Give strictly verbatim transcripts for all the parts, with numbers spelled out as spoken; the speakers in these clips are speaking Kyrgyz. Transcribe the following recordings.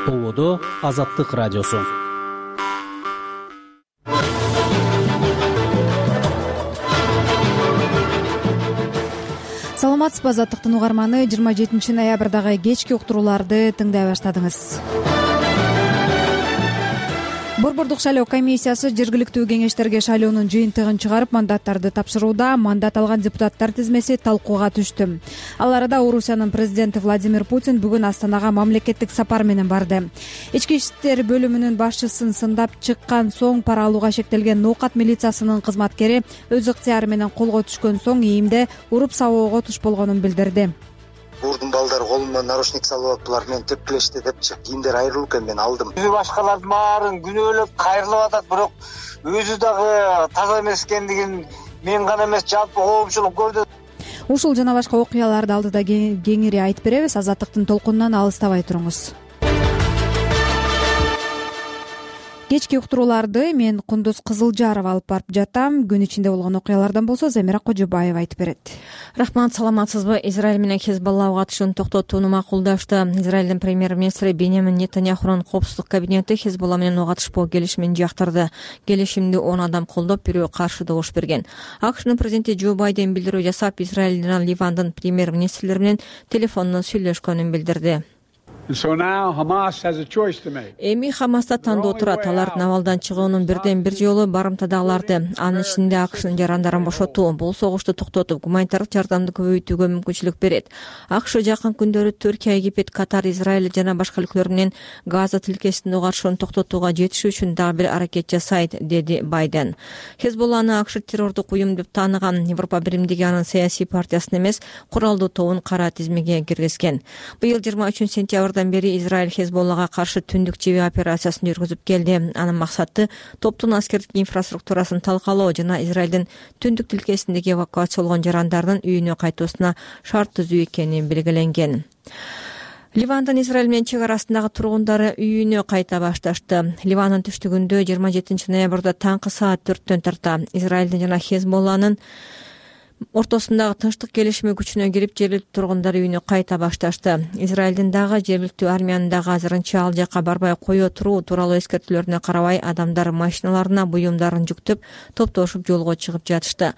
Ободо Азаттык радиосу. Саламатсызбы, Азаттыктын угарманы. жыйырма жетинчи ноябрдагы кечки уктурууларды тыңдай баштадыңыз. Борбордук шайлоо комиссиясы жергиликтүү кеңештерге шайлоонун жыйынтыгын чыгарып, мандаттарды тапшырууда. Мандат алган депутаттар тизмеси талкууга түштү. Ал арада Орусиянын президенти Владимир Путин бүгүн Астанага мамлекеттик сапар менен барды. Ички иштер бөлүмүнүн башчысын сындап чыккан соң пара алууга шектелген Ноокат милициясынын кызматкери өз ыктыяры менен колго түшкөн соң ИИМде уруп сабоого туш болгонун билдирди. Бурдун балдары колума наручник салып алып, булар менен тепкилешти депчи. Кийимдер айрылып экен, мен алдым. Өзү башкалардын баарын күнөөлөп кайрылып атат, бирок өзү дагы таза эмес экендигин мен гана эмес, жалпы коомчулук көрдү. Ушул жана башка окуяларды алдыда кеңири айтып беребиз. Азаттыктын толкунунан алыстабай туруңуз. Кечки уктурууларды мен Кундуз Кызылжарова алып барып жатам. Күн ичинде болгон окуялардан болсо Замира Кожобаева айтып берет. Рахмат, саламатсызбы? Израиль менен Хезболла катышуун токтотууну макулдашты. Израилдин премьер-министри Беньямин Нетаньяхунун коопсуздук кабинети Хезболла менен ого катышпоо келишимин жактырды. Келишимди он адам колдоп, бирөө каршы добуш берген. АКШнын президенти Джо Байден билдирүү жасап, Израиль жана Ливандын премьер-министрлери менен телефондон сүйлөшкөнүн билдирди. Эми Хамаста тандоо турат. Алар Навалдан чыгуунун бирден бир жолу барымтадагыларды, анын ичинде АКШнын жарандарын бошотуу, бул согушту токтотуп, гуманитардык жардамды көбөйтүүгө мүмкүнчүлүк берет. АКШ жакын күндөрү Түркия, Египет, Катар, Израиль жана башка өлкөлөр менен Газа тилкесинде катышууну токтотууга жетишүү үчүн дагы бир аракет жасайт, деди Байден. Хезболланы АКШ террордук уюм деп тааныган. Европа биримдиги анын саясий партиясын эмес, куралдуу тобун кара тизмеге киргизген. Быйыл жыйырма үчүнчү сентябрдан бери Израиль Хезболлага каршы түндүк жеби операциясын жүргүзүп келди. Анын максаты топтун аскердик инфраструктурасын талкалоо жана Израилдин түндүк тилкесиндеги эвакуацияланган жарандардын үйүнө кайтуусуна шарт түзүү экени белгиленген. Ливандын Израиль менен чек арасындагы тургундары үйүнө кайта башташты. Ливандын түштүгүндө жыйырма жетинчи ноябрда таңкы саат төрттөн тарта Израилдин жана Хезболланын ортосундагы тынчтык келишими күчүнө кирип, жергиликтүү тургундар үйүнө кайта башташты. Израилдин дагы жергиликтүү армиянын дагы азырынча ал жака барбай кое туруу тууралуу эскертүүлөрүнө карабай, адамдар машиналарына буюмдарын жүктөп, топтошуп жолго чыгып жатышты.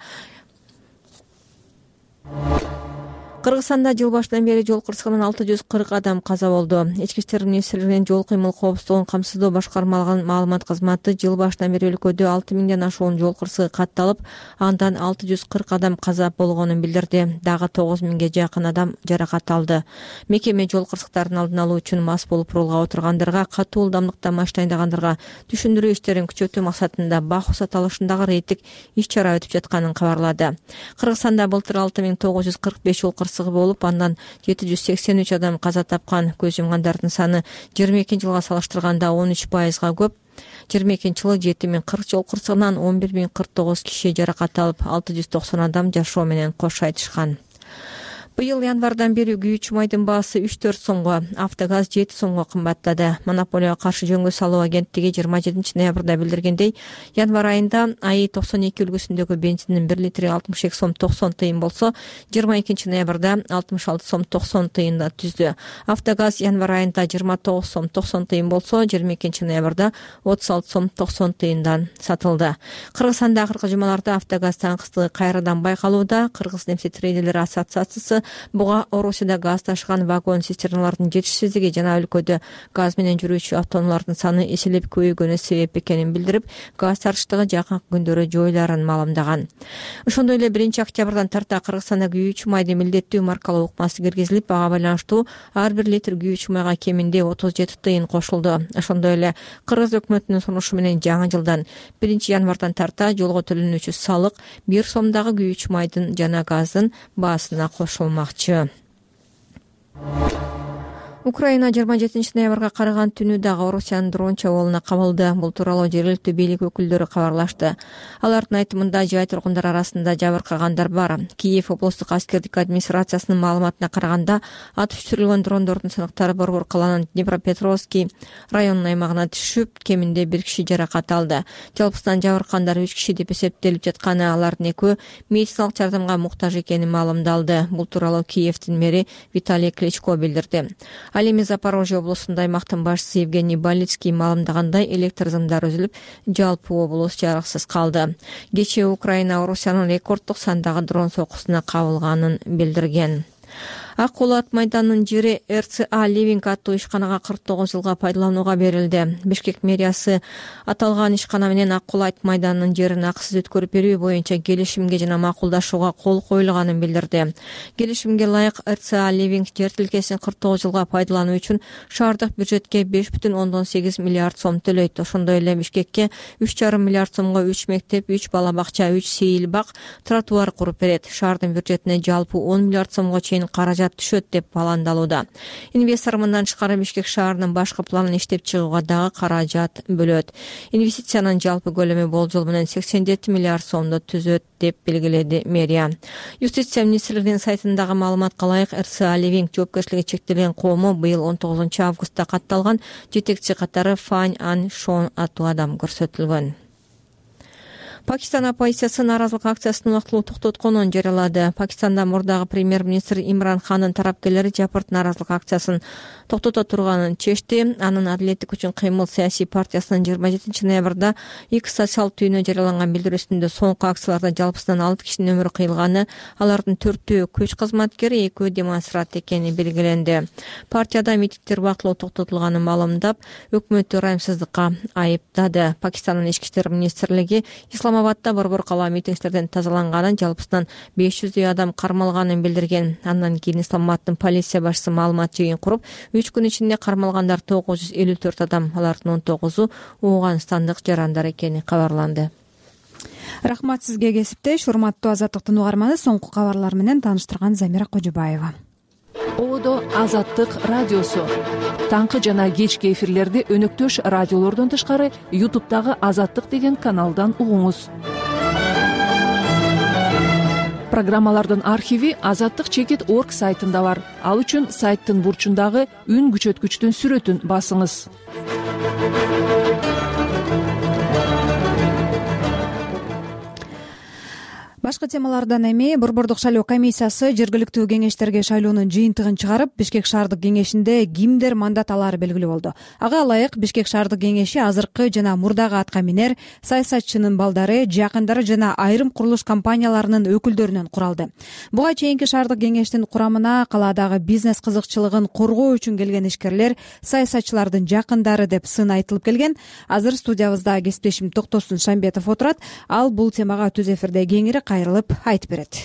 Кыргызстанда жыл башынан бери жол кырсыгынан алты жүз кырк адам каза болду. Ички иштер министрлигинин жол кыймыл коопсуздугун камсыздоо башкармалыгынын маалымат кызматы жыл башынан бери өлкөдө алты миңден ашуун жол кырсыгы катталып, андан алты жүз кырк адам каза болгонун билдирди. Дагы тогуз миңге жакын адам жаракат алды. Мекеме жол кырсыктарын алдын алуу үчүн мас болуп рулга отургандарга, катуу ылдамдыкта машина айдагандарга түшүндүрүү иштерин күчөтүү максатында бак руксат алышындагы рейдтик иш-чара өтүп жатканын кабарлады. Кыргызстанда былтыр алты миң тогуз жүз кырк беш жол кырсыгы болуп, андан жети жүз сексен үч адам каза тапкан. Көз жумгандардын саны жыйырма экинчи жылга салыштырганда он үч пайызга көп. жыйырма экинчи жылы жети миң кырк жол кырсыгынан он бир миң кырк тогуз киши жаракат алып, алты жүз токсон адам жашоо менен кош айтышкан. Быйыл январдан бери күйүүчү майдын баасы үч төрт сомго, автогаз жети сомго кымбаттады. Монополияга каршы жөнгө салуу агенттиги жыйырма жетинчи ноябрда билдиргендей, январ айында АИ токсон эки үлгүсүндөгү бензиндин бир литри алтымыш эки сом токсон тыйын болсо, жыйырма экинчи ноябрда алтымыш алты сом токсон тыйында түздү. Автогаз январ айында жыйырма тогуз сом токсон тыйын болсо, жыйырма экинчи ноябрда отуз алты сом токсон тыйындан сатылды. Кыргызстанда акыркы жумаларда автогаз таңкыстыгы кайрадан байкалууда. Кыргыз нефтетрейдерлер ассоциациясы буга Орусияда газ ташыган вагон цистерналардын жетишсиздиги жана өлкөдө газ менен жүрүүчү автоунаалардын саны эселеп көбөйгөнү себеп экенин билдирип, газ тартыштыгы жакынкы күндөрү жоюларын маалымдаган. Ошондой эле биринчи октябрдан тарта Кыргызстанда күйүүчү майды милдеттүү маркалоо укмасы киргизилип, ага байланыштуу ар бир литр күйүүчү майга кеминде отуз жети тыйын кошулду. Ошондой эле Кыргыз өкмөтүнүн сунушу менен жаңы жылдан биринчи январдан тарта жолго төлөнүүчү салык бир сомдагы күйүүчү майдын жана газдын баасына кошулмак. Украина жыйырма жетинчи ноябрга караган түнү дагы Орусиянын дрон чабуулуна кабылды. Бул тууралуу жергиликтүү бийлик өкүлдөрү кабарлашты. Алардын айтымында жай тургундар арасында жабыркагандар бар. Киев облустук аскердик администрациясынын маалыматына караганда, атып түшүрүлгөн дрондордун сынактары Борбор калаанын Днепропетровский районунун аймагына түшүп, кеминде бир киши жаракат алды. Жалпысынан жабыркагандар үч киши деп эсептелип жатканы, алардын экөө медициналык жардамга муктаж экени маалымдалды. Бул тууралуу Киевдин мэри Виталий Кличко билдирди. Ал эми Запорожье облусунда аймактын башчысы Евгений Балицкий маалымдагандай, электр сымдары үзүлүп, жалпы облус жарыксыз калды. Кечээ Украина Орусиянын рекорддук сандагы дрон сокусуна кабылганын билдирген. Ак Кул ат майданынын жери эр цэ а Living аттуу ишканага кырк тогуз жылга пайдаланууга берилди. Бишкек мэриясы аталган ишкана менен Ак Кул ат майданынын жерин акысыз өткөрүп берүү боюнча келишимге жана макулдашууга кол коюлганын билдирди. Келишимге ылайык эр цэ а Living жер тилкесин кырк тогуз жылга пайдалануу үчүн шаардык бюджетке беш бүтүн ондон сегиз миллиард сом төлөйт. Ошондой эле Бишкекке үч жарым миллиард сомго үч мектеп, үч бала бакча, үч сейил бак, тротуар куруп берет. Шаардын бюджетине жалпы он миллиард сомго чейин каражат түшөт деп пландалууда. Инвестор мындан тышкары Бишкек шаарынын башкы планын иштеп чыгууга дагы каражат бөлөт. Инвестициянын жалпы көлөмү болжол менен сексен жети миллиард сомду түзөт деп белгиледи мэрия. Юстиция министрлигинин сайтындагы маалыматка ылайык, эр цэ а Living жоопкерчилиги чектелген коому быйыл он тогузунчу августта катталган жетекчи катары Фань Ан Шон аттуу адам көрсөтүлгөн. Пакистан оппозициясы нааразылык акциясын убактылуу токтотконун жарыялады. Пакистанда мурдагы премьер-министр Имран Хандын тарапкерлери жапырт нааразылык акциясын токтото турганын чечти. Анын Адилеттик үчүн кыймыл саясий партиясынын жыйырма жетинчи ноябрда X социалдык түйүнө жарыяланган билдирүүсүндө соңку акцияларда жалпысынан алты кишинин өмүрү кыйылганы, алардын төртөө күч кызматкери, экөө демонстрант экени белгиленди. Партияда митингдер убактылуу токтотулганын маалымдап, өкмөттү ырайымсыздыкка айыптады. Пакистандын ички иштер министрлиги Исламабадда борбор кала митингчилерден тазаланганын, жалпысынан беш жүздөй адам кармалганын билдирген. Андан кийин Исламабаддын полиция башчысы маалымат жыйын куруп, үч күн ичинде кармалгандар тогуз жүз элүү төрт адам, алардын он тогузу Ооганстандык жарандар экени кабарланды. Рахмат сизге, кесиптеш. Урматтуу Азаттыктын угарманы, соңку кабарлар менен тааныштырган Замира Кожубаева. Одо Азаттык радиосу. Таңкы жана кечки эфирлерди өнөктөш радиолордон тышкары ютубтагы Азаттык деген каналдан угуңуз. Программалардын архиви азаттык чекит точка орг сайтында бар. Ал үчүн сайттын бурчундагы үн күчөткүчтүн сүрөтүн басыңыз. Башка темалардан эми Борбордук шайлоо комиссиясы жергиликтүү кеңештерге шайлоонун жыйынтыгын чыгарып, Бишкек шаардык кеңешинде кимдер мандат алаары белгилүү болду. Ага ылайык Бишкек шаардык кеңеши азыркы жана мурдагы атка минер, саясатчынын балдары, жакындары жана айрым курулуш компанияларынын өкүлдөрүнөн куралды. Буга чейинки шаардык кеңештин курамына калаадагы бизнес кызыкчылыгын коргоо үчүн келген ишкерлер, саясатчылардын жакындары деп сын айтылып келген. Азыр студиябызда кесиптешим Токтосун Шамбетов отурат. Ал бул темага түз эфирде кеңири кайрылып айтып берет.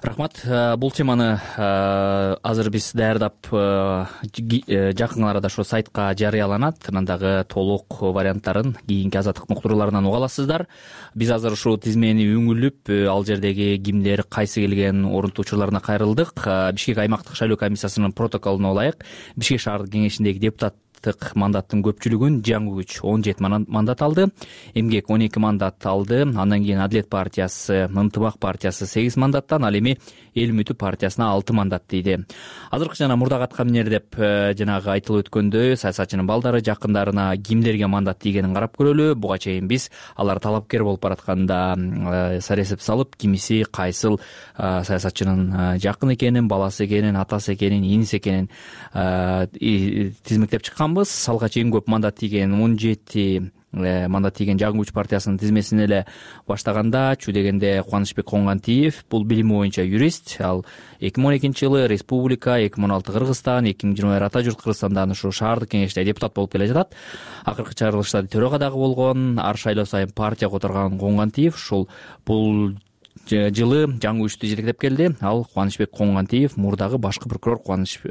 Рахмат. Бул теманы азыр биз даярдап, жакын арада ошо сайтка жарыяланат. Анан дагы толук варианттарын кийинки Азаттыктын уктурууларынан уга аласыздар. Биз азыр ушул тизмени үңүлүп, ал жердеги кимдер кайсы келген орунтуу учурларына кайрылдык. Бишкек аймактык шайлоо комиссиясынын протоколуна ылайык Бишкек шаардык кеңешиндеги депутат мандаттын көпчүлүгүн жаңы күч он жети мандат алды, эмгек он эки мандат алды, андан кийин Адилет партиясы, Ынтымак партиясы сегиз мандаттан, ал эми Эл үмүтү партиясына алты мандат тийди. Азыркы жана мурдагы атка минер деп жанагы айтылып өткөндөй, саясатчынын балдары, жакындарына кимдерге мандат тийгенин карап көрөлү. Буга чейин биз алар талапкер болуп баратканда саресеп салып, кимиси кайсыл саясатчынын жакын экенин, баласы экенин, атасы экенин, иниси экенин тизмектеп чыкканбыз. Алга чейин көп мандат тийген он жети мандат тийген Жаңы күч партиясынын тизмесин эле баштаганда, чү дегенде Кубанычбек Коңгантиев, бул билими боюнча юрист. Ал эки миң он экинчи жылы Республика, эки миң он алты Кыргызстан, эки миң жыйырма бир Ата журт Кыргызстандан ушу шаардык кеңеште депутат болуп келе жатат. Акыркы чыгарылышта төрага дагы болгон. Ар шайлоо сайын партия которгон Коңгантиев ушул бул жылы Жаңы күчтү жетектеп келди. Ал Кубанычбек Коңгантиев мурдагы башкы прокурор Кубаныч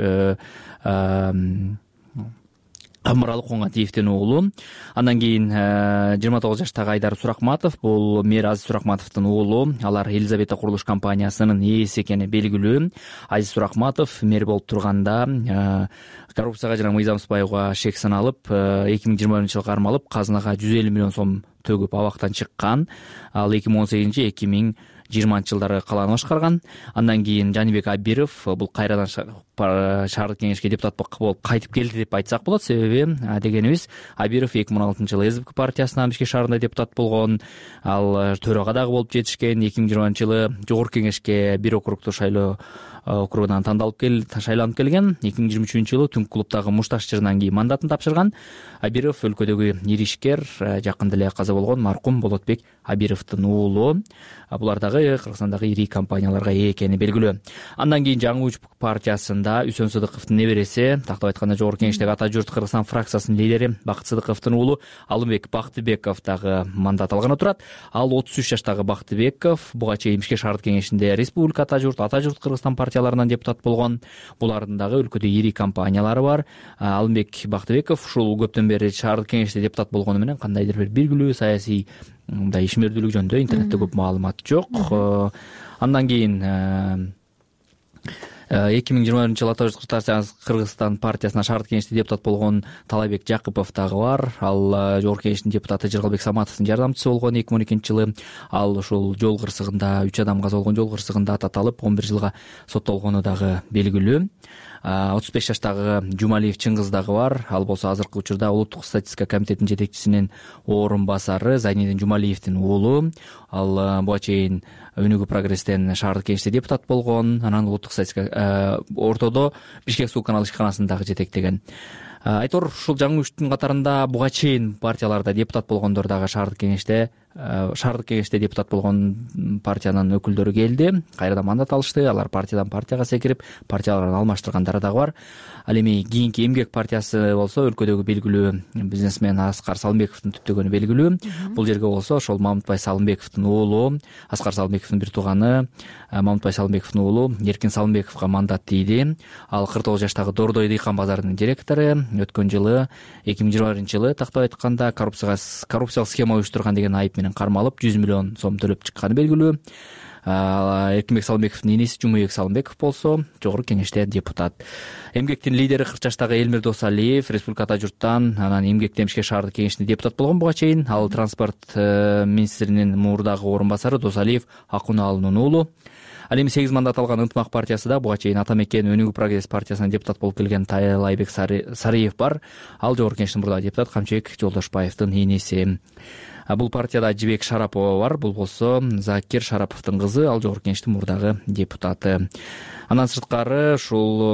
Амыралы Коңгантиевдин уулу. Андан кийин жыйырма тогуз жаштагы Айдар Суракматов, бул мэр Азиз Суракматовдун уулу. Алар Елизавета курулуш компаниясынын ээси экени белгилүү. Азиз Суракматов мэр болуп турганда коррупцияга жана мыйзамсызбаюуга шек саналып, эки миң жыйырма биринчи жылы кармалып, казынага жүз элүү миллион сом төгүп абактан чыккан. Ал эки миң он сегизинчи эки миң жыйырманчы жылдары калааны башкарган. Андан кийин Жанибек Абиров бул кайрадан шаардык кеңешке депутат болуп кайтып келди деп айтсак болот. Себеби дегенибиз, Абиров эки миң он алтынчы жылы СДП партиясынан Бишкек шаарында депутат болгон. Ал төрага дагы болуп жетишкен. эки миң жыйырманчы жылы жогорку кеңешке бир округтук шайлоо округунан тандалып кел шайланып келген. эки миң жыйырма үчүнчү жылы Түнкү клубдагы Мушташ жырынан кийин мандатын тапшырган. Абиров өлкөдөгү ири ишкер, жакында эле каза болгон маркум Болотбек Абировдун уулу. Булар дагы Кыргызстандагы ири компанияларга ээ экени белгилүү. Андан кийин Жаңы Уч партиясында Үсөн Сыдыковдун небереси, тактап айтканда Жогорку Кеңештеги Ата журт Кыргызстан фракциясынын лидери Бакыт Сыдыковдун уулу Алымбек Бактыбеков дагы мандат алганы турат. Ал отуз үч жаштагы Бактыбеков буга чейин Бишкек шаардык кеңешинде Республика Ата журт, Ата журт Кыргызстан партияларынан депутат болгон. Булардын дагы өлкөдө ири компаниялары бар. Алымбек Бактыбеков ушул көптөн бери шаардык кеңеште депутат болгону менен кандайдыр бир белгилүү саясий мындай ишмердүүлүк жөнүндө интернетте көп маалымат жок. Андан кийин эки миң жыйырма биринчи жылы Ата журт Кыргызстан партиясына шаардык кеңеште депутат болгон Талайбек Жакыпов дагы бар. Ал Жогорку Кеңештин депутаты Жыргалбек Саматовдун жардамчысы болгон эки миң он экинчи жылы. Ал ушул жол кырсыгында үч адам каза болгон жол кырсыгында таталып он бир жылга соттолгону дагы белгилүү. отуз беш жаштагы Жумалиев Чыңгыз дагы бар. Ал болсо азыркы учурда Улуттук статистика комитетинин жетекчисинин орун басары Зайнидин Жумалиевдин уулу. Ал буга чейин Өнүгүү прогресстен шаардык кеңеште депутат болгон. Анан улуттук статистика ортодо Бишкек суу канал ишканасын дагы жетектеген. Айтор ушул Жаңы Учтун катарында буга чейин партияларда депутат болгондор дагы шаардык кеңеште шаардык кеңеште депутат болгон партиянын өкүлдөрү келди. Кайрадан мандат алышты. Алар партиядан партияга секирип, партияларын алмаштыргандары дагы бар. Ал эми кийинки Эмгек партиясы болсо өлкөдөгү белгилүү бизнесмен Аскар Салымбековдун түптөгөнү белгилүү. Бул жерге болсо ошол Мамытбай Салымбековдун уулу, Аскар Салымбековдун бир тууганы Мамытбай Салымбековдун уулу Эркин Салымбековго мандат тийди. Ал кырк тогуз жаштагы Дордой дыйкан базарынын директору. Өткөн жылы эки миң жыйырма биринчи жылы тактап айтканда коррупцияга коррупциялык схема уюштурган деген айып менен кармалып жүз миллион сом төлөп чыкканы белгилүү. Эркинбек Салымбековдун энеси Жумабек Салымбеков болсо Жогорку Кеңеште депутат. Эмгектин лидери кырк жаштагы Элмир Досалиев Республика Ата журттан, анан Эмгектен Бишкек шаардык кеңешинде депутат болгон буга чейин. Ал транспорт министринин мурдагы орун басары Досалиев Акуналынын уулу. Ал эми сегиз мандат алган Ынтымак партиясы да буга чейин Ата Мекен Өнүгүү прогресс партиясынан депутат болуп келген Талайбек Сариев бар. Ал Жогорку Кеңештин мурдагы депутат Камчыбек Жолдошбаевдин энеси. Бул партияда Жибек Шарапова бар. Бул болсо Закир Шараповдун кызы. Ал Жогорку Кеңештин мурдагы депутаты. Андан сырткары ушул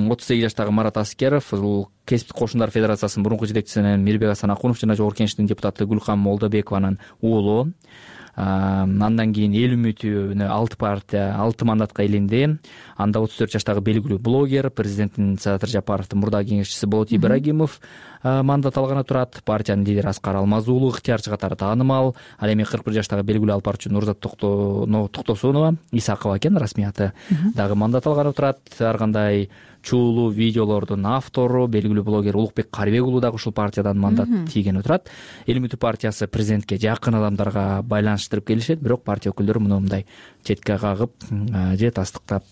отуз сегиз жаштагы Марат Аскеров, бул Кесиптик кошундар федерациясынын мурунку жетекчиси Мирбек Асан Акунов жана Жогорку Кеңештин депутаты Гүлкан Молдобекованын уулу. Андан кийин эл үмүтүнө алты партия алты мандатка илинди. Анда отуз төрт жаштагы белгилүү блогер, президенттин Садыр Жапаровдун мурдагы кеңешчиси Болот Ибрагимов мандат алганы турат. Партиянын лидери Аскар Алмаз уулу ыктыярчы катары таанымал. Ал эми кырк бир жаштагы белгилүү алпарчы Нурзат Токтосунова Исакова экен расмий аты дагы мандат алганы турат. Ар кандай чуулуу видеолордун автору белгилүү блогер Улукбек Карыбек уулу дагы ушул партиядан мандат тийгени турат. Эл үмүтү партиясы президентке жакын адамдарга байланыштырып келишет, бирок партия өкүлдөрү муну мындай четке кагып же тастыктап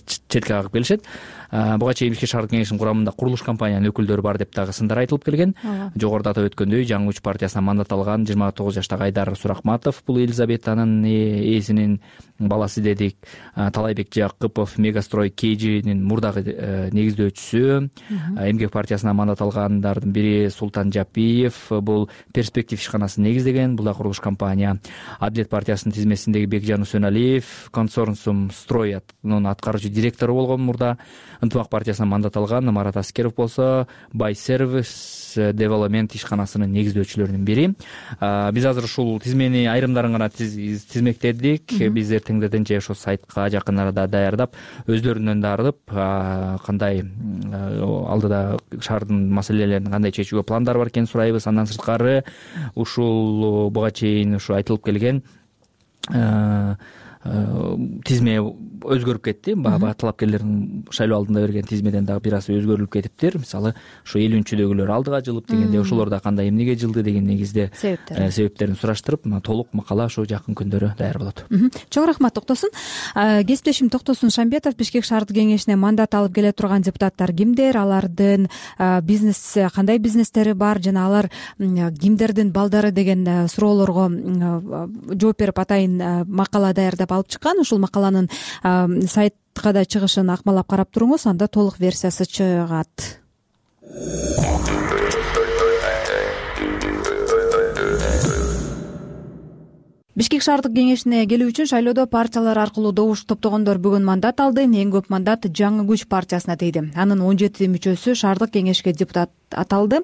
четке кагып келишет. Буга чейин Бишкек шаардык кеңешинин курамында курулуш компаниянын өкүлдөрү бар деп дагы сындар айтылып келген. Жогоруда атап өткөндөй Жаңы Уч партиясынан мандат алган жыйырма тогуз жаштагы Айдар Суракматов, бул Елизаветанын ээсинин баласы дедик. Талайбек Жакыпов Мегастрой Кейжинин мурдагы негиздөөчүсү. Эмгек партиясынан мандат алгандардын бири Султан Жапиев, бул Перспектив ишканасын негиздеген, бул да курулуш компания. Адилет партиясынын тизмесиндеги Бекжан Үсөналиев Консорциум Строятнын аткаруучу директору болгон мурда. Ынтымак партиясынан мандат алган Марат Аскеров болсо Бай Сервис Девелопмент ишканасынын негиздөөчүлөрүнүн бири. Биз азыр ушул тизмени айрымдарын гана тизмектедик. Биз эртеңдерден же ошо сайтка жакын арада даярдап, өздөрүнөн дарып, кандай алдыда шаардын маселелерин кандай чечүүгө пландары бар экенин сурайбыз. Андан сырткары ушул буга чейин ушу айтылып келген тизме өзгөрүп кетти. Баягы талапкерлердин шайлоо алдында берген тизмеден дагы бир аз өзгөрүлүп кетиптир. Мисалы ушу эл үнчүдөгүлөр алдыга жылып дегенде ошолор да кандай эмнеге жылды деген негизде себептерин сураштырып, толук макала ошо жакын күндөрү даяр болот. Чоң рахмат Токтосун. Кесиптешим Токтосун Шамбетов Бишкек шаардык кеңешине мандат алып келе турган депутаттар кимдер, алардын бизнес кандай бизнестери бар жана алар кимдердин балдары деген суроолорго жооп берип атайын макала даярдап алып чыккан. Ушул макаланын сайтка да чыгышын акмалап карап туруңуз, анда толук версиясы чыгат. Бишкек шаардык кеңешине келүү үчүн шайлоодо партиялар аркылуу добуш топтогондор бүгүн мандат алды. Эң көп мандат Жаңы күч партиясына тийди. Анын он жети мүчөсү шаардык кеңешке депутат аталды.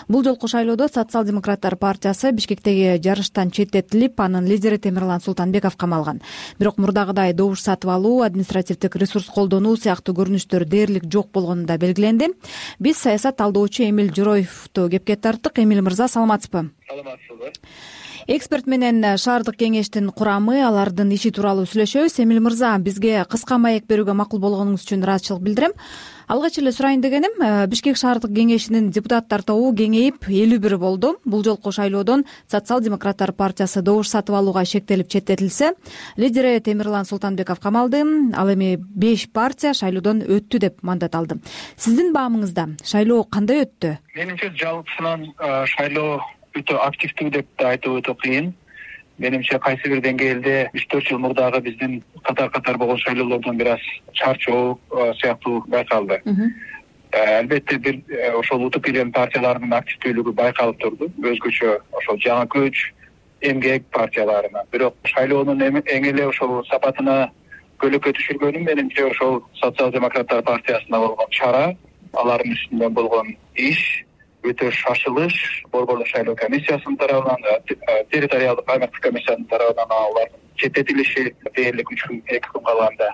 Бул жолку шайлоодо Социал-демократтар партиясы Бишкектеги жарыштан четтетилип, анын лидери Темирлан Султанбеков камалган. Бирок мурдагыдай добуш сатып алуу, административдик ресурс колдонуу сыяктуу көрүнүштөр дээрлик жок болгону да белгиленди. Биз саясат талдоочу Эмиль Жороевду кепке тарттык. Эмиль мырза, саламатсызбы? Саламатсызбы. Эксперт менен шаардык кеңештин курамы, алардын иши тууралуу сүйлөшөбүз. Эмиль мырза, бизге кыска маек берүүгө макул болгонуңуз үчүн ыраазычылык билдирем. Алгач эле сурайын дегеним, Бишкек шаардык кеңешинин депутаттар тобу кеңейип элүү бир болду. Бул жолку шайлоодон Социал-демократтар партиясы добуш сатып алууга шектелип четтетилсе, лидери Темирлан Султанбеков камалды. Ал эми беш партия шайлоодон өттү деп мандат алды. Сиздин баамыңызда шайлоо кандай өттү? Менимче жалпысынан шайлоо өтө активдүү деп да айтуу өтө кыйын. Менимче кайсы бир деңгээлде үч төрт жыл мурдагы биздин катар-катар болгон шайлоолордон бир аз чарчоо сыяктуу байкалды. Албетте бир ошол утуп келген партиялардын активдүүлүгү байкалып турду. Өзгөчө ошол Жаңы күч, эмгек партияларына. Бирок шайлоонун эң эле ошол сапатына көлөкө түшүргөнү менимче ошол Социал-демократтар партиясына болгон чара, алардын үстүндө болгон иш өтө шашылыш, борборлук шайлоо комиссиясынын тарабынан, территориалдык аймактык комиссиянын тарабынан алардын четтетилиши дээрлик үч күн эки күн калганда.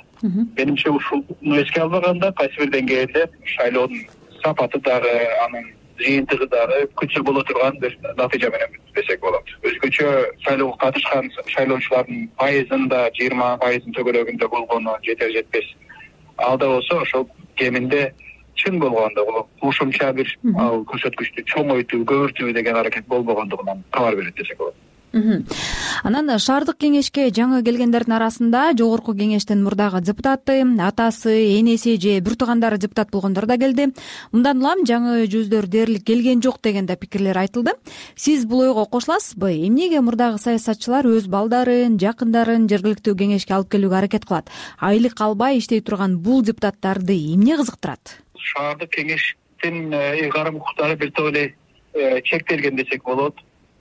Менимче ушуну эске албаганда кайсы бир деңгээлде шайлоонун сапаты дагы, анын жыйынтыгы дагы күчү боло турган бир натыйжа менен десек болот. Өзгөчө шайлоого катышкан шайлоочулардын пайызында жыйырма пайыздын төгөлөгүндө болгону жетер жетпес. Алда болсо ошол кеминде чын болгондо бул кошумча бир ал көрсөткүчтү чоңойтуу, көбүртүү деген аракет болбогондугунан кабар берет десек болот. Анан шаардык кеңешке жаңы келгендердин арасында жогорку кеңештин мурдагы депутаты, атасы, энеси же бир туугандары депутат болгондор да келди. Мындан улам жаңы жүздөр дээрлик келген жок деген да пикирлер айтылды. Сиз бул ойго кошуласызбы? Эмнеге мурдагы саясатчылар өз балдарын, жакындарын жергиликтүү кеңешке алып келүүгө аракет кылат? Айлык албай иштей турган бул депутаттарды эмне кызыктырат? Шаардык кеңештин ыйгарым укуктары бир топ эле чектелген десек болот.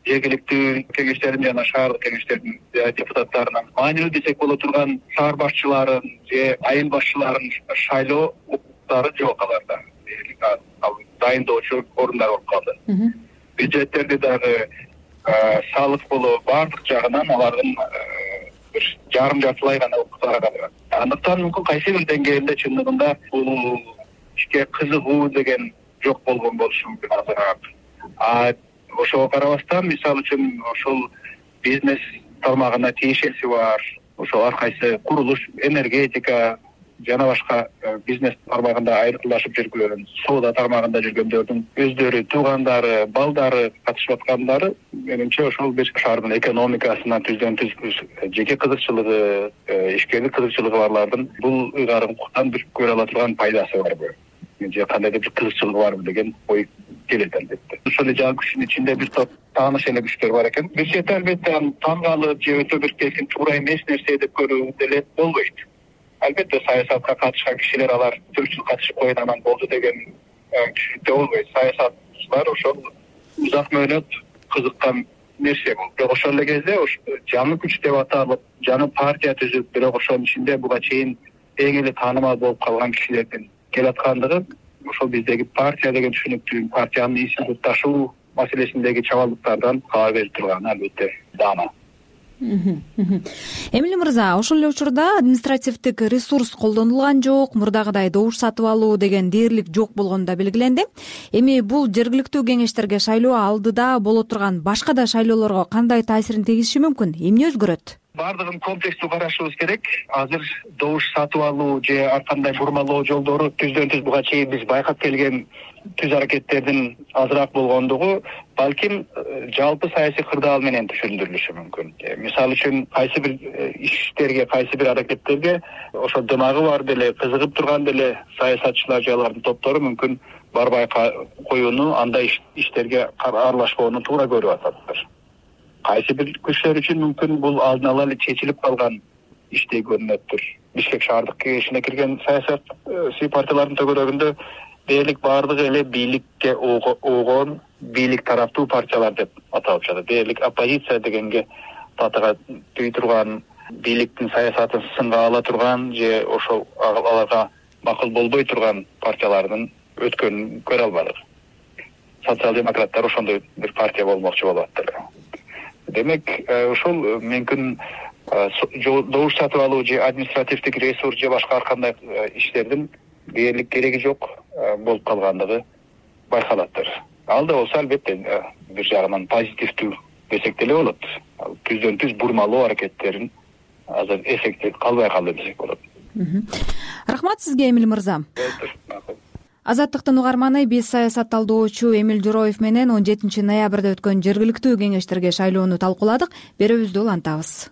Жергиликтүү кеңештердин жана шаардык кеңештердин депутаттарынын маанилүү десек боло турган шаар башчыларын же айыл башчыларын шайлоо укуктары жок аларда. Ал дайындоочу орундар болуп калды. Бюджеттерди дагы салык болобу баардык жагынан алардын бир жарым жартылай гана укуктары калган. Андыктан мүмкүн кайсы бир деңгээлде чындыгында бул ишке кызыгуу деген жок болгон болушу мүмкүн азыраак. А ошого карабастан, мисалы үчүн ошол бизнес тармагына тиешеси бар, ошол ар кайсы курулуш, энергетика жана башка бизнес тармагында айрылышып жүргөн, соода тармагында жүргөндөрдүн өздөрү, туугандары, балдары катышып аткандары, менимче ошол бир шаардын экономикасына түздөн түз жеке кызыкчылыгы, ишкерлик кызыкчылыгы барлардын бул ыйгарым укуктан бир көрө ала турган пайдасы барбы же кандайдыр бир кызыкчылыгы барбы деген ой келет албетте. Ошол эле Жаңы күчтүн ичинде бир топ тааныш эле күчтөр бар экен. Бир чети албетте аны таңгалып же өтө бир келсин туура эмес нерсе деп көрүү деле болбойт. Албетте саясатка катышкан кишилер алар төрт жыл катышып койгон анан болду деген түшүнүктө болбойт. Саясатчылар ошол узак мөөнөт кызыккан нерсе бул. Бирок ошол эле кезде Жаңы күч деп аталып, жаңы партия түзүп, бирок ошонун ичинде буга чейин эң эле таанымал болуп калган кишилердин келаткандыгы ошол биздеги партия деген түшүнүктүү, партиянын исин ташуу маселесиндеги чабалдыктардан кабар берип турган албетте даама. Эмиль мырза, ошол эле учурда административдик ресурс колдонулган жок, мурдагыдай добуш сатып алуу деген дээрлик жок болгону да белгиленди. Эми бул жергиликтүү кеңештерге шайлоо алдыда боло турган башка да шайлоолорго кандай таасирин тийгизиши мүмкүн? Эмне өзгөрөт? Бардыгын комплекстүү карашыбыз керек. Азыр добуш сатып алуу же ар кандай бурмалоо жолдору түздөн түз буга чейин биз байкап келген түз аракеттердин азыраак болгондугу балким жалпы саясий кырдаал менен түшүндүрүлүшү мүмкүн. Мисалы үчүн кайсы бир иштерге, кайсы бир аракеттерге ошо дымагы бар деле, кызыгып турган деле саясатчылар же алардын топтору мүмкүн барбай коюуну, андай иштерге аралашпоону туура көрүп атат. Кайсы бир күчлөр үчүн мүмкүн бул алдын ала эле чечилип калган иштей көрүнөттүр. Бишкек шаардык кеңешине кирген саясий партиялардын төгөлөгүндө дээрлик баардыгы эле бийликке огон, бийлик тараптуу партиялар деп аталып жатат. Дээрлик оппозиция дегенге батыга түй турган, бийликтин саясатын сынга ала турган же ошол аларга макул болбой турган партиялардын өткөнүн көрө албадык. Социал-демократтар ошондой бир партия болмокчу болуп аттыр. Демек, ошол мүмкүн добуш сатып алуу же административдик ресурс же башка ар кандай иштердин дээрлик кереги жок болуп калгандыгы байкалаттыр. Ал да болсо албетте бир жагынан позитивдүү десек деле болот. Түздөн түз бурмалоо аракеттерин азыр эффекти калбай калды десек болот. Рахмат сизге, Эмил мырза. Азаттыктын угарманы, биз саясат талдоочу Эмил Жороев менен он жетинчи ноябрда өткөн жергиликтүү кеңештерге шайлоону талкууладык. Берүүбүздү улантабыз.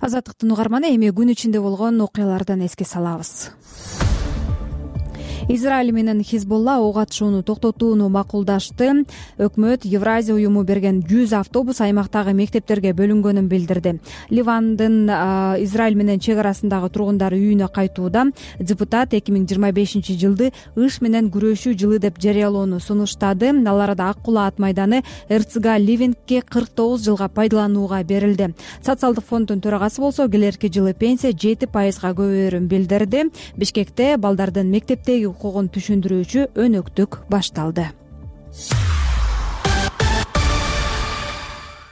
Азаттыктын угарманы, эми күн ичинде болгон окуялардан эске салабыз. Израиль менен Хизбулла ок атышууну токтотууну макулдашты. Өкмөт Евразия уюму берген жүз автобус аймактагы мектептерге бөлүнгөнүн билдирди. Ливандын Израиль менен чек арасындагы тургундар үйүнө кайтууда. Депутат эки миң жыйырма бешинчи жылды ыш менен күрөшүү жылы деп жарыялоону сунуштады. Ал арада Ак Кулаа ат майданы Эрцга Ливингке кырк тогуз жылга пайдаланууга берилди. Социалдык фонддун төрагасы болсо келерки жылы пенсия жети пайызга көбөйөрүн билдирди. Бишкекте балдардын мектептеги укугун түшүндүрүүчү өнөктүк башталды.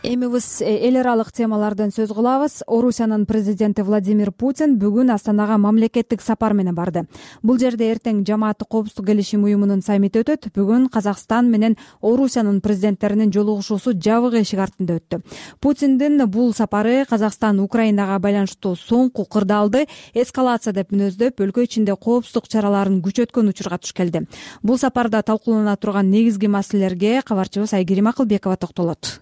Эми биз эл аралык темалардан сөз кылабыз. Орусиянын президенти Владимир Путин бүгүн Астанага мамлекеттик сапар менен барды. Бул жерде эртең жамааттык коопсуздук келишим уюмунун саммити өтөт. Бүгүн Казакстан менен Орусиянын президенттеринин жолугушуусу жабык эшик артында өттү. Путиндин бул сапары Казакстан Украинага байланыштуу соңку кырдаалды эскалация деп мүнөздөп, өлкө ичинде коопсуздук чараларын күчөткөн учурга туш келди. Бул сапарда талкуулана турган негизги маселелерге кабарчыбыз Айгерим Акылбекова токтолот.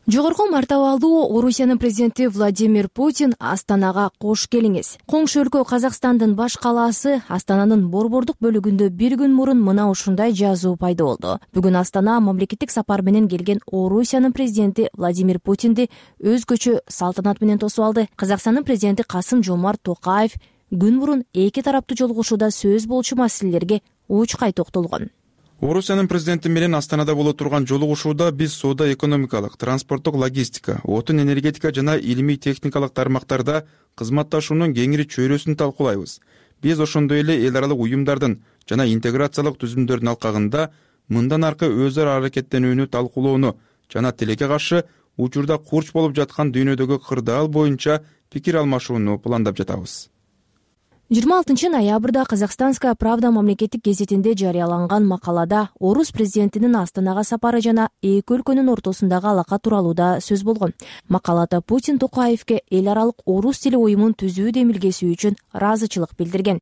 Жогорку мартабалдуу Орусиянын президенти Владимир Путин Астанага кош келиңиз. Коңшу өлкө Казакстандын баш калаасы Астананын борбордук бөлүгүндө бир күн мурун мына ушундай жазуу пайда болду. Бүгүн Астана мамлекеттик сапар менен келген Орусиянын президенти Владимир Путинди өзгөчө салтанат менен тосуп алды. Казакстандын президенти Касым-Жомарт Токаев күн мурун эки тараптуу жолугушууда сөз болчу маселелерге учкай токтолгон. Орусиянын президенти менен Астанада боло турган жолугушууда биз соода экономикалык, транспорттук логистика, отун энергетика жана илимий техникалык тармактарда кызматташуунун кеңири чөйрөсүн талкуулайбыз. Биз ошондой эле эл аралык уюмдардын жана интеграциялык түзүмдөрдүн алкагында мындан аркы өз ара аракеттенүүнү талкуулоону жана тилекке каршы учурда курч болуп жаткан дүйнөдөгү кырдаал боюнча пикир алмашууну пландап жатабыз. жыйырма алтынчы ноябрда Казахстанская правда мамлекеттик гезитинде жарыяланган макалада орус президентинин Астанага сапары жана эки өлкөнүн ортосундагы алака тууралуу да сөз болгон. Макалада Путин Токаевке эл аралык орус тили уюмун түзүү демилгеси үчүн ыраазычылык билдирген.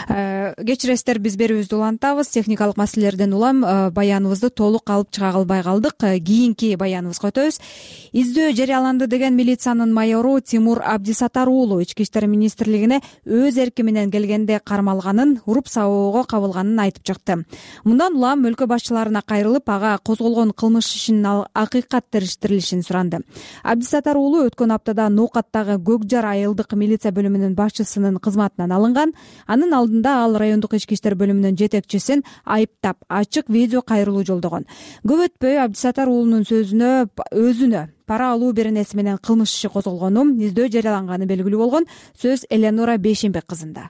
Кечиресиздер, биз берүүбүздү улантабыз. Техникалык маселелерден улам баяныбызды толук алып чыга албай калдык. Кийинки баяныбызга өтөбүз. Издөө жарыяланды деген милициянын майору Тимур Абдисатар уулу Ички иштер министрлигине өз эрки менен келгенде кармалганын, уруп сабоого кабылганын айтып чыкты. Мындан улам өлкө башчыларына кайрылып, ага козголгон кылмыш ишинин акыйкат териштирилишин суранды. Абдисатар уулу өткөн аптада Ноокаттагы Көкжар айылдык милиция бөлүмүнүн башчысынын кызматынан алынган. Анын алдында ал райондук ички иштер бөлүмүнүн жетекчисин айыптап ачык видео кайрылуу жолдогон. Көп өтпөй Абдисатар уулунун сөзүнө өзүнө пара алуу беренеси менен кылмыш иши козголгону, издөө жарыяланганы белгилүү болгон. Сөз Эленора Бейшенбек кызында.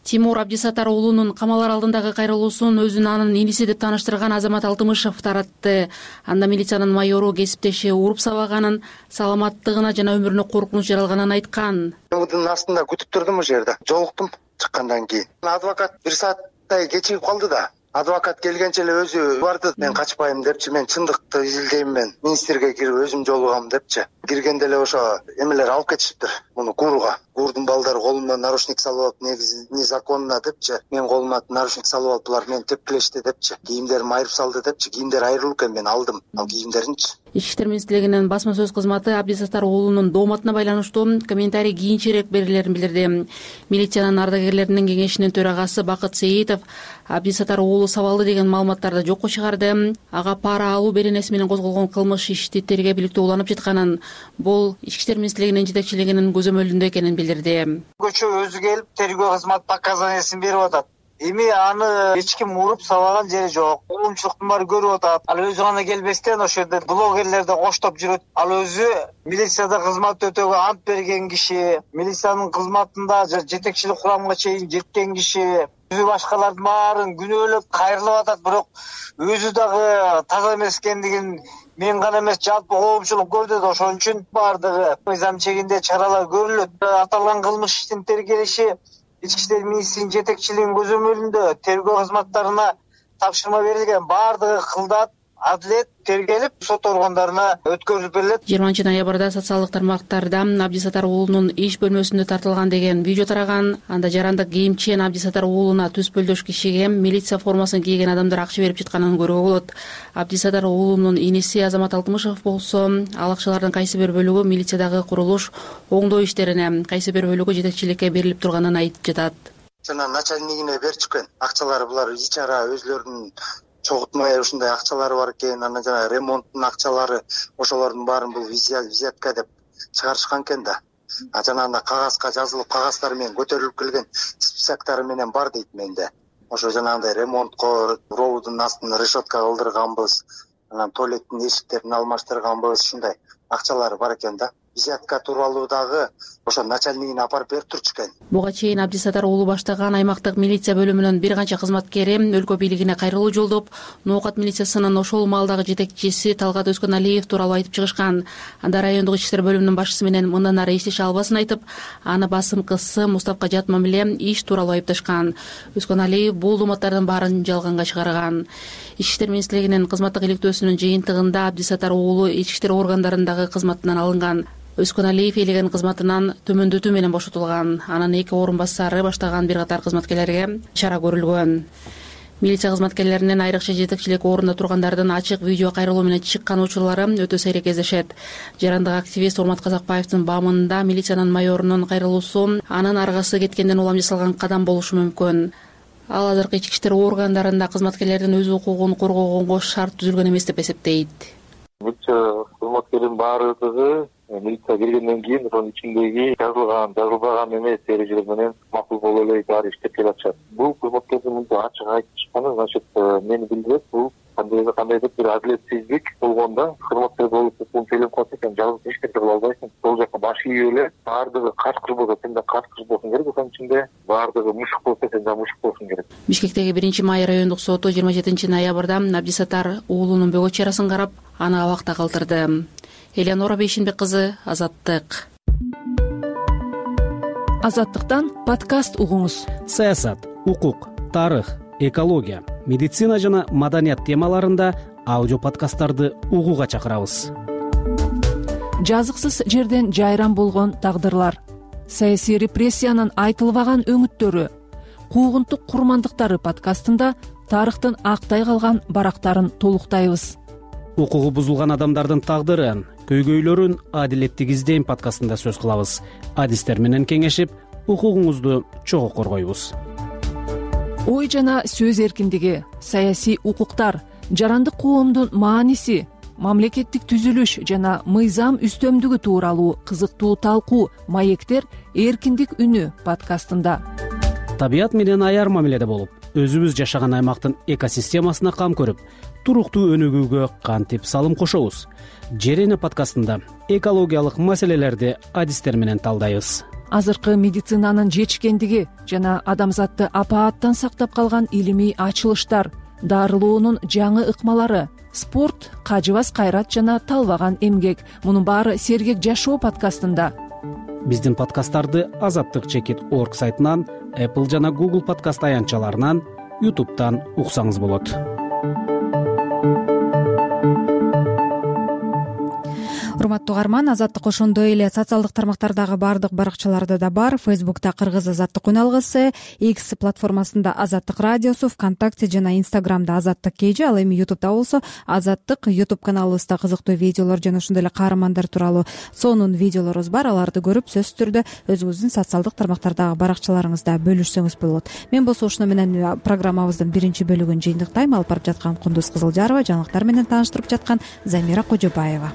Тимур Абдисатар уулунун камалар алдындагы кайрылуусун өзүн анын иниси деп тааныштырган Азамат Алтымышев таратты. Анда милициянын майору кесиптеши уруп сабаганын, саламаттыгына жана өмүрүнө коркунуч жаралганын айткан. Мудун астында күтүп турдум, ошол жерде жолуктум. Чыккандан кийин адвокат бир сааттай кечигип калды да. Адвокат келгенче эле өзү барды. Мен качпайм депчи, мен чындыкты изилдейм, мен министрге кирип өзүм жолугам депчи. Киргенде эле ошо эмелер алып кетишиптир муну кууруга. Куурдун балдары колума наручник салып алып, негизи незаконно депчи. Мен колума наручник салып алып, булар мени тепкилешти депчи. Кийимдерим айырып салды депчи. Кийимдер айрылуу экен, мен алдым ал кийимдеринчи. Ички иштер министрлигинин басма сөз кызматы Абдисатар уулунун дооматына байланыштуу комментарий кийинчерээк берилерин билдирди. Милициянын ардагерлеринин кеңешинин төрагасы Бакыт Сейитов Абдисатар уулу сабалды деген маалыматтарды жокко чыгарды. Ага пара алуу беренеси менен козголгон кылмыш ишти тергөө бийликтөө уланып жатканын, бул ички иштер министрлигинин жетекчилигинин көзөмөлүндө экенин билдирди. билдирди. Көчө өзү келип тергөө кызматы показаниясын берип атат. Эми аны эч ким уруп сабаган жери жок. Коомчулуктун баары көрүп атат. Ал өзү гана келбестен ошол жерде блогерлерди коштоп жүрөт. Ал өзү милицияда кызмат өтөөгө ант берген киши, милициянын кызматында жетекчилик курамга чейин жеткен киши. Өзү башкалардын баарын күнөөлөп кайрылып атат, бирок өзү дагы таза эмес экендигин мен гана эмес, жалпы коомчулук көрдү да, ошон үчүн баардыгы мыйзам чегинде чаралар көрүлөт. Аталган кылмыш иштин тергелиши Ички иштер министринин жетекчилигинин көзөмөлүндө тергөө кызматтарына тапшырма берилген. Баардыгы кылдат, адилет тергелип, сот органдарына өткөрүлүп берилет. жыйырманчы ноябрда социалдык тармактарда Абдисатар уулунун иш бөлмөсүндө тартылган деген видео тараган. Анда жарандык кийимчен Абдисатар уулуна түз пөлдөш кишиге милиция формасын кийген адамдар акча берип жатканын көрүүгө болот. Абдисатар уулунун иниси Азамат Алтымышев болсо, ал акчалардын кайсы бир бөлүгү милициядагы курулуш оңдоо иштерине, кайсы бир бөлүгү жетекчиликке берилип турганын айтып жатат. Жана начальнигине берип чыккан акчалары булар ичара өзлөрүнүн чогултмай ушундай акчалары бар экен, анан жана ремонттун акчалары, ошолордун баарын бул взятка деп чыгарышкан экен да. А жанагындай кагазга жазылып, кагаздары менен көтөрүлүп келген списоктары менен бар дейт менде. Ошо жанагындай ремонтко проводун астын решетка кылдырганбыз, анан туалеттин эшиктерин алмаштырганбыз, ушундай акчалары бар экен да. Взятка тууралуу дагы ошо начальнигине апарып берип турчу экен. Буга чейин Абдисатар уулу баштаган аймактык милиция бөлүмүнүн бир канча кызматкери өлкө бийлигине кайрылуу жолдоп, Ноокат милициясынын ошол маалдагы жетекчиси Талгат Өскөналиев тууралуу айтып чыгышкан. Анда райондук ички иштер бөлүмүнүн башчысы менен мындан ары иштеше албасын айтып, аны басымкысы Мустапка жат мамиле иш тууралуу айыпташкан. Өскөналиев бул дооматтардын баарын жалганга чыгарган. Ички иштер министрлигинин кызматтык иликтөөсүнүн жыйынтыгында Абдисатар уулу ички иштер органдарындагы кызматынан алынган. Өскөналиев элеген кызматынан төмөндөтүү менен бошотулган. Анын эки орун басары баштаган бир катар кызматкерлерге чара көрүлгөн. Милиция кызматкерлеринин айрыкча жетекчилик орунда тургандардын ачык видео кайрылуу менен чыккан учурлары өтө сейрек кездешет. Жарандык активист Урмат Казакбаевдин баамында милициянын майорунун кайрылуусу анын аргасы кеткенден улам жасалган кадам болушу мүмкүн. Ал азыркы ички иштер органдарында кызматкерлердин өз укугун коргогонго шарт түзүлгөн эмес деп эсептейт. Милиция кызматкердин баардыгы милиция киргенден кийин ошонун ичиндеги жазылган, жазылбаган эмес эрежелер менен макул боло эле баары иштеп келатышат. Бул кызматкердин мынтип ачык айтышканы, значит, мени билдирет, бул кандайдыр кандайдыр бир адилетсиздик болгондо кызматкер болуп укугун төлөп калса экен, жалгыз эч нерсе кыла албайсың. Сол жака баш ийип эле баардыгы качкыр болсо сен да качкыр болсуң керек, ошонун ичинде баардыгы мушук болсо сен да мушук болсуң керек. Бишкектеги биринчи май райондук соту жыйырма жетинчи ноябрда Абдисатар уулунун бөгөт чарасын карап, аны абакта калтырды. Элеонора Бейшинбек кызы, Азаттык. Азаттыктан подкаст угуңуз. Саясат, укук, тарых, экология, медицина жана маданият темаларында аудио подкасттарды угууга чакырабыз. Жазыксыз жерден жайран болгон тагдырлар, саясий репрессиянын айтылбаган өңүттөрү, куугунтук курмандыктары подкастында тарыхтын актай калган барактарын толуктайбыз. Укугу бузулган адамдардын тагдырын, көйгөйлөрүн адилеттик издейм подкастында сөз кылабыз. Адистер менен кеңешип, укугуңузду чогуу коргойбуз. Ой жана сөз эркиндиги, саясий укуктар, жарандык коомдун мааниси, мамлекеттик түзүлүш жана мыйзам үстөмдүгү тууралуу кызыктуу талкуу маектер эркиндик үнү подкастында. Табият менен аяр мамиледе болуп, өзүбүз жашаган аймактын экосистемасына кам көрүп, туруктуу өнүгүүгө кантип салым кошобуз. Жерене подкастында экологиялык маселелерди адистер менен талдайбыз. Азыркы медицинанын жетишкендиги жана адамзатты апааттан сактап калган илимий ачылыштар, дарылоонун жаңы ыкмалары, спорт, кажыбас кайрат жана талбаган эмгек. Мунун баары Сергек жашоо подкастында. Биздин подкасттарды Азаттык чекит орг сайтынан, Apple жана Google подкаст аянтчаларынан, YouTube'дан уксаңыз болот. Урматтуу угарман, Азаттык ошондой эле социалдык тармактардагы баардык баракчаларда да бар. Фейсбукта Кыргыз Азаттык үналгысы, X платформасында Азаттык радиосу, ВКонтакте жана Инстаграмда Азаттык кейжи, ал эми YouTube'да болсо Азаттык YouTube каналыбызда кызыктуу видеолор жана ошондой эле каармандар тууралуу сонун видеолорубуз бар. Аларды көрүп, сөзсүз түрдө өзүңүздүн социалдык тармактардагы баракчаларыңызда бөлүшсөңүз болот. Мен болсо ушуну менен программабыздын биринчи бөлүгүн жыйынтыктайм. Алып барып жаткан Кундуз Кызылжарова, жаңылыктар менен тааныштырып жаткан Замира Кожобаева.